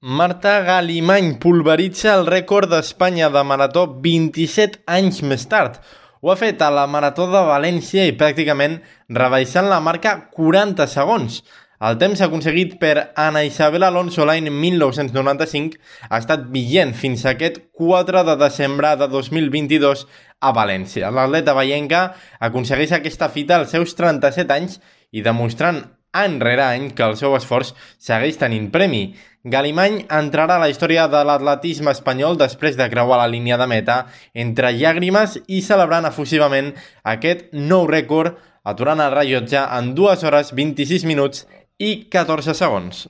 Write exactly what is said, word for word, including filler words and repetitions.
Marta Galimany pulveritza el rècord d'Espanya de marató vint-i-set anys més tard. Ho ha fet a la Marató de València i pràcticament rebaixant la marca quaranta segons. El temps aconseguit per Ana Isabel Alonso l'any mil nou-cents noranta-cinc ha estat vigent fins a aquest quatre de desembre de dos mil vint-i-dos a València. L'atleta vallenca aconsegueix aquesta fita als seus trenta-set anys i demostrant any rere any que el seu esforç segueix tenint premi. Galimany entrarà a la història de l'atletisme espanyol després de creuar la línia de meta entre llàgrimes i celebrant efusivament aquest nou rècord, aturant el rellotge en dues hores vint-i-sis minuts i catorze segons.